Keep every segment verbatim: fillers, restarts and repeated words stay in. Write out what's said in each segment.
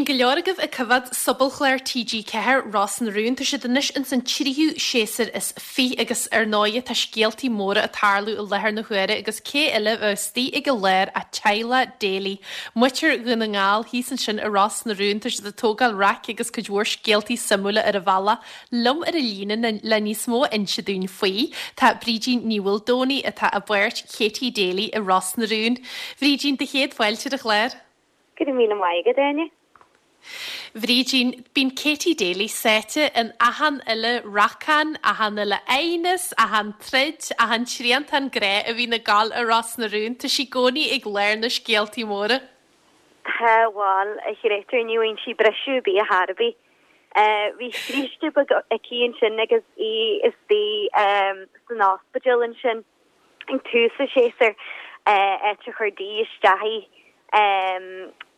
Bíonn go leor agaibh ag coimhéad sobalchlár T G Ceathair, Ros na Rún. Tá siad anois ins an tríú séasúr is fiche agus ar ndóighe tá scéaltaí móra ag tarlú i láthair na huaire agus cé eile a bheadh istigh ag an lár ach teaghlach Daly. Muintir Dhún na nGall thíos ansin i Ros na Rún, tá siad ag tógáil raic agus cuid mhór scéaltaí suimiúla ar an bhealach. Liom ar an líne le níos mó a inse dúinn faoi tá Brídín Ní Mhaoldomhnaigh atá i bpáirt Katie Daly i Ros na Rún. Brídín, do chéad fáilte ar an chlár. Go raibh míle maith agat, Áine. Bhrídín, bíonn Katie Daly sáite in achan uile racán, achan uile aighneas, achan troid, achan triantán grá a bhíonn ag gabháil i Ros na Rún, tá sí i gcónaí ag lár na scéaltaí móra. Tá, bhuel, a chréatúir, ní bhfaigheann sí briseadh ar bith ar chor ar bith. Bhí scríste beag aici ansin agus í istigh san ospidéal ansin ag tús an tséasúir, áit a chuir Dee isteach í.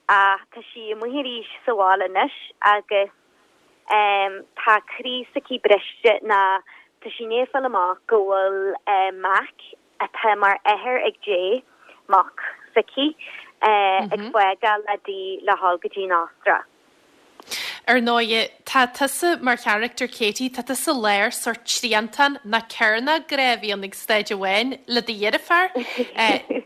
Ach tá sí amuigh arís sa bhaile anois agus tá croí s'aici briste ná tá sí i ndiaidh fáil amach go bhfuil Mac, atá mar athair ag Jay, mac s'aici, ag fágáil le Dee le dhul go dtí an Astráil. Ar ndóighe, tá tusa mar charachtar Katie, tá tusa i lár sórt triantán ná cearnóg grá a bhíonn ag staid amháin le do dheirfiúr,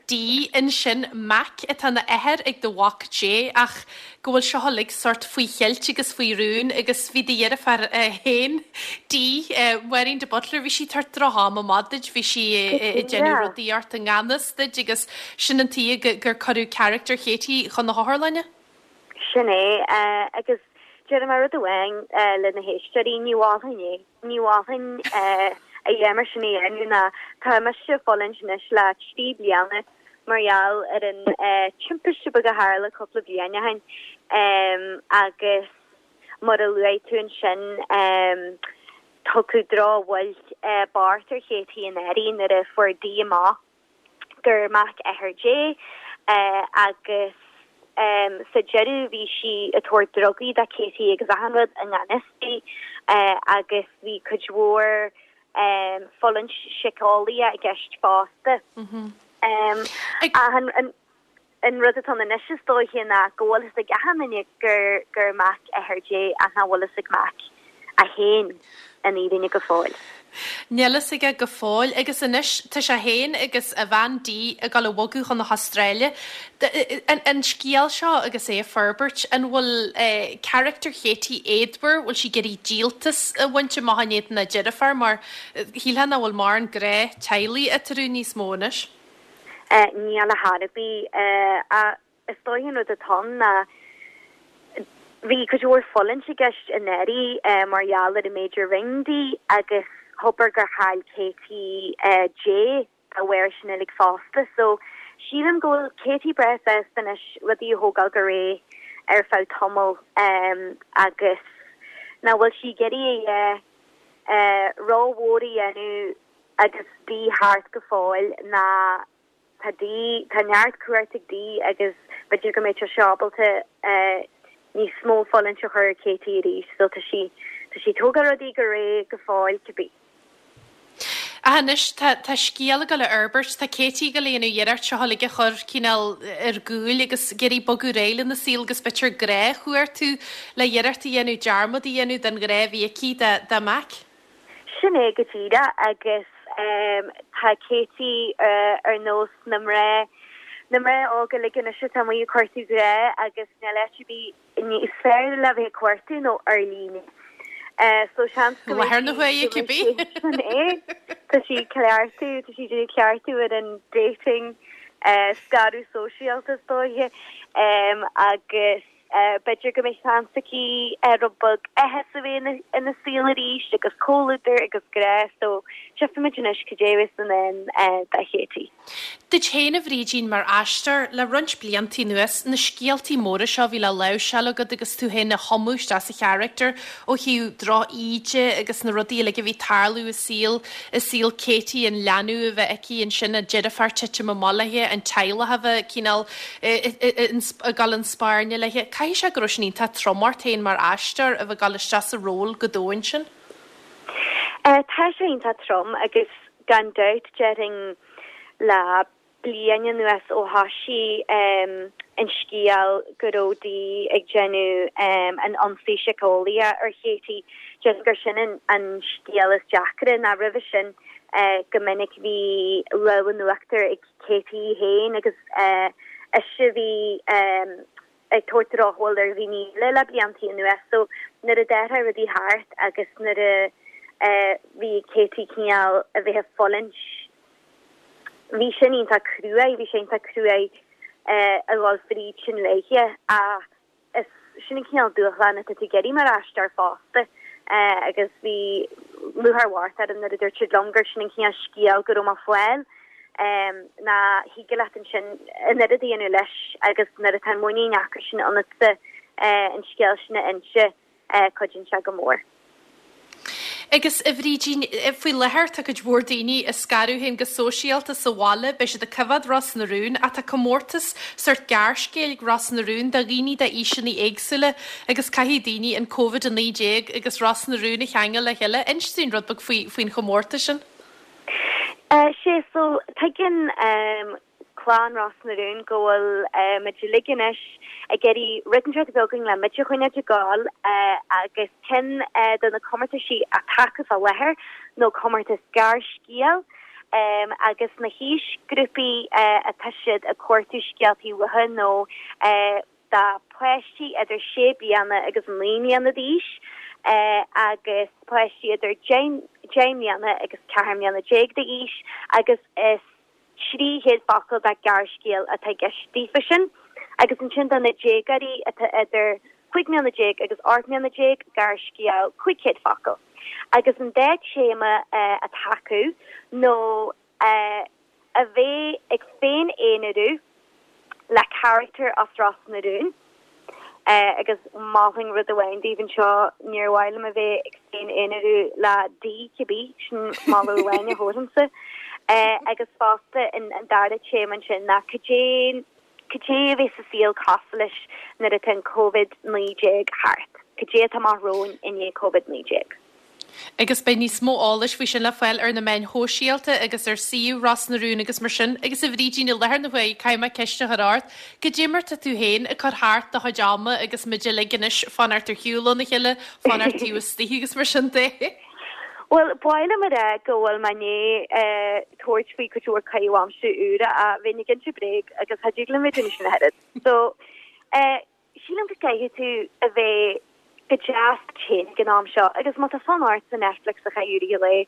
Dee, ansin Mac atá ina athair ag do mhac Jay ach go bhfuil seo uilig sórt faoi cheilt agus faoi rún agus bhí do dheirfiúr féin, Dee, Máirín de Butler, bhí sí ag tabhairt droch-am amach duit, bhí sí ag déanamh rudaí ort i ngan fhios duit agus sin an tuige gur cuireadh charachtar Katie chun na hotharlainne. Sin é agus déarfaidh mé rud amháin le na héisteoirí, ní mholfainn é. Ní mholfainn a dhath mar sin a dhéanamh ná tá mise ag fulaingt anois le trí bliana mar gheall ar an timpiste beag a tharla cúpla bliain ó shin agus mar a luaigh tú ansin tugadh drochbhuille bocht ar Katie anuraidh nuair a fuair Dee amach gur mac athair Jay agus sa deireadh bhí sí ag tabhairt drugaí do Katie agus achan rud i ngan fhios di agus bhí cuid mhór fulaingt síceolaíoch i gceist fosta. Ach an an rud atá anois is dóiche ná go bhfuil fhios ag achan duine gur gur mac athair Jay ach nach bhfuil fhios ag Mac é féin an fhírinne go fóill. Níl fhios aige go fóill agus anois tá sé féin agus a bhean Dee ag dul a bhogadh chun na hAstráile. An scéal seo agus é ag forbairt, an bhfuil charachtar Katie éadmhar, bhfuil sí ag iarraidh díoltas a bhaint amach in éadan a deirfiúr mar shílfeá nach bhfuil mórán grá teaghlaigh eatarthu níos mó anois? Níl ar chor ar bith. Is dóiche an rud atá ann ná bhí cuid mhór fulaingt i gceist anuraidh mar gheall ar an méid a rinne Dee agus abair gur chaill Katie Jay dá bharr sin uilig fosta. So sílim go bhfuil Katie breá sásta anois rudaí a thógáil go réidh ar feadh tamaill agus nach bhfuil sí ag iarraidh a dhath rómhór a dhéanamh agus Dee thart go fóill ná tá Dee, tá neart cumhacht ag Dee agus b'fhéidir go mbeidh sé ábalta níos mó fulaingt a chur ar Katie arís, so tá sí tá sí ag tógáil rudaí go réidh go fóill cibé. Ach anois tá tá scéal ag dul a fhorbairt, tá Katie ag dul a dhéanamh iarracht seo uilig a chur cineál ar gcúl agus ag iarraidh bogadh ar aghaidh lena saol agus b'fhéidir grá a chuartú le iarracht a dhéanamh dearmad a dhéanamh den ghrá a bhí aici dá mac. Sin é go díreach agus tá Katie ar nós na mná na mná óga uilig anois atá amuigh ag cuartú grá agus níl áit ar bith níos fearr le bheith ag cuartú ná ar líne. So seans go Láthair na huaire cibé. Sin é. Tá sí cleachtadh, tá sí ag cleachtadh ar an dating scaradh sóisialta is dóiche agus b'fhéidir go mbeidh seans aici rud beag áthas a bheith ina saol arís agus comhluadar agus grá so tchífimid anois cad é a bheas i ndán do Katie. Duit féin a Bhrídín mar aisteoir le roinnt blianta anuas, na scéaltaí móra seo a bhí le láimhseáil agat agus tú féin a thumadh isteach sa charachtar ó thaobh droch-íde agus na rudaí uilig a bhí ag tarlú i saol i saol Katie, an leanbh a bheith aici ansin, a deirfiúr titim amach léi, an teaghlach a bheith cineál ag dul chun spairne léi. Caithfidh sé go raibh sin iontach trom ort féin mar aisteoir a bheith ag dul isteach sa ról go domhain sin? Tá sé iontach trom agus gan dabht déarfainn le bliain anuas ó thoisigh an scéal go raibh Dee ag déanamh an ionsaí síceolaíoch ar Katie. Déarfainn gur sin an an scéal is deacra ná roimhe sin go minic bhí lámh in uachtar ag Katie féin agus ise a bhí ag tabhairt drochbhail ar dhaoine eile le bliantaí anuas. So nuair a d'athraigh rudaí thart agus nuair a bhí Katie cineál a bheith ag fulaingt bhí sin iontach cruaidh, bhí sé iontach cruaidh a dhul fríd sin léithe ach is sin an cineál dúshlán atá tú ag iarraidh mar aisteoir fosta agus bhí lúcháir mhór orm nuair a dúirt siad liom gur sin an cineál scéal go raibh mé ag fáil ná thig leat ansin an oiread a dhéanamh leis agus nuair atá an muinín acu sin ionatsa an scéal sin a inse cuidíonn sé go mór. Agus a Bhrídín, faoi láthair tá cuid mhór daoine ag scaradh féin go sóisialta sa bhaile, beidh siad ag coimhéad Ros na Rún, ach tá comórtas sórt gearrscéil ag Ros na Rún do dhaoine d'aoiseanna éagsúla agus caithfidh daoine an Covid a naoi déag agus Ros na Rún a cheangal le chéile. Inis dúinn rud beag faoi faoin chomórtas sin. Sé so tuigeann clann Ros na Rún go bhfuil muid uilig anois ag iarraidh rud inteacht a bheith againn le muid a choinneáil ag gabháil agus ceann de na comórtaisí atá acu fá láthair nó comórtas gearrscéal agus na haoisghrúpaí atá siad ag cuartú scéaltaí uathu nó do pháistí idir sé bliana agus naoi mbliana d'aois agus páistí idir deich mbliana agus ceathair mbliana déag d'aois agus is trí chéad focal de ghearrscéal atá i gceist daofa sin, agus ansin do na déagóirí atá idir cúig mbliana déag agus ocht mbliana déag, gearrscéal cúig chéad focal. Agus an dá téama atá acu nó a bheith ag féin-aonarú le carachtar as Ros na Rún. Agus mholfainn rud amháin daoibh anseo, níor mhaith liom a bheith ag féin-aonarú le Dee cibé, sin moladh amháin a thabharfainnse. Agus fosta an dara téama ansin ná cad é cad é a bheidh sa saol cosúil leis nuair atá an Covid naoi déag thart? Cad é atá amach romhainn i ndiaidh Covid naoi déag? Agus beidh níos mó eolais faoi sin le fáil ar na meáin shóisialta agus ar suíomh Ros na Rún agus mar sin. Agus a Bhrídín, i láthair na huaire, caithfidh mé ceist a chur ort, cad é mar tá tú féin ag cur thart do chuid ama agus muid uilig anois fanacht ar shiúl óna chéile, fanacht taobh istigh agus mar sin de? Bhuel, ba mhaith liom a rá go bhfuil mé i ndiaidh tabhairt faoi cuid mhór caitheamh aimsire úra ach bheinn ag inse bréag agus cha dtig liom bheith ag déanamh sin ach oiread. So, eh, sílim go gcaithfidh tú a bheith go deas duit féin ag an am seo agus má tá fonn ort an Netflix a chaith i rith an lae,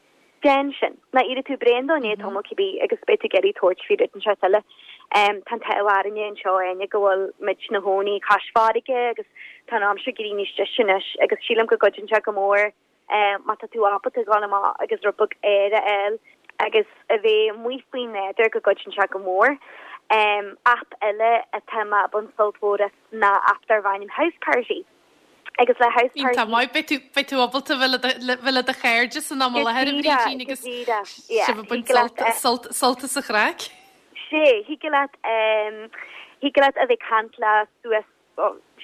déan sin. Nó éireoidh tú bréan dó i ndiaidh tamaill cibé agus beidh tú ag iarraidh tabhairt faoi rud inteacht eile. Tá an t-ádh orainne anseo Áine go bhfuil muid 'na chónaí cois farraige agus tá an aimsir ag éirí níos deise anois agus sílim go gcuidíonn sé go mór má tá tú ábalta dul amach agus rud beag aeir a fháil agus a bheith amuigh faoin nádúr go gcuidíonn sé go mór. Aip eile atá mé ag baint sult mhór as ná aip darb ainm Houseparty. Agus le Houseparty. Iontach maith, beidh tú beidh tú ábalta bheith le do bheith le do chairde san am i láthair a Bhrídín agus sibh ag baint sult sult sult as an chraic. Sé, thig leat thig leat a bheith ag caint le suas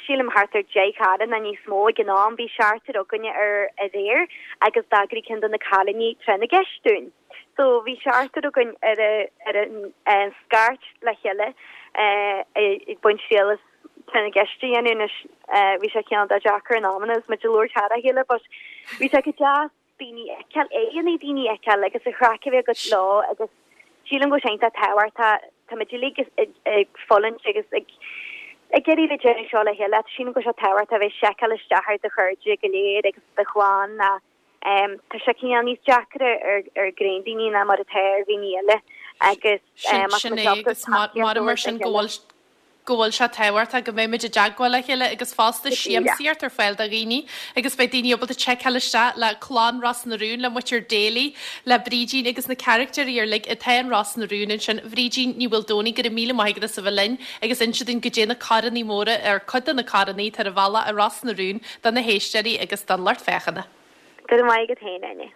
sílim thart ar deich cara nó níos mó ag an am. Bhí seachtar againne ar aréir agus d'eagraigh ceann de na cailíní tráth na gceist dúinn. So bhí seachtar againn ar ar an scairt le chéile ag baint triail as tráth na gceist a dhéanamh anois. Bhí sé cineál deacair in amanna agus muid ag labhairt thar a chéile but bhí sé go deas daoine a fheiceáil, aghaidheanna daoine a fheiceáil agus an chraic a bheith agat leo agus sílim go bhfuil sé iontach tábhachtach, tá muid uilig ag fulaingt agus ag ag iarraidh bheith ag déanamh seo le chéile. Sílim go bhfuil sé tábhachtach a bheith ag seiceáil isteach ar do chairde go léir agus do chlann ná tá sé cineál níos deacra ar ar ghnáthdaoine ná mar atá ar dhaoine eile agus Sin sin é agus mar mar sin go bhfuil go bhfuil sé tábhachtach go mbeidh muid i dteagmháil le chéile agus fosta siamsaíocht ar fáil do dhaoine agus beidh daoine ábalta seiceáil isteach le clann Ros na Rún, le muintir Daly, le Brídín agus na carachtair uilig atá in Ros na Rún ansin. Bhrídín Ní Mhaoldomhnaigh, go raibh míle maith agat as a bheith linn agus inse dúinn goidé na corannaí móra ar cuid de na corannaí atá ar an bhealach i Ros na Rún do na héisteoirí agus don lucht féachana. Go raibh maith agat féin, Áine.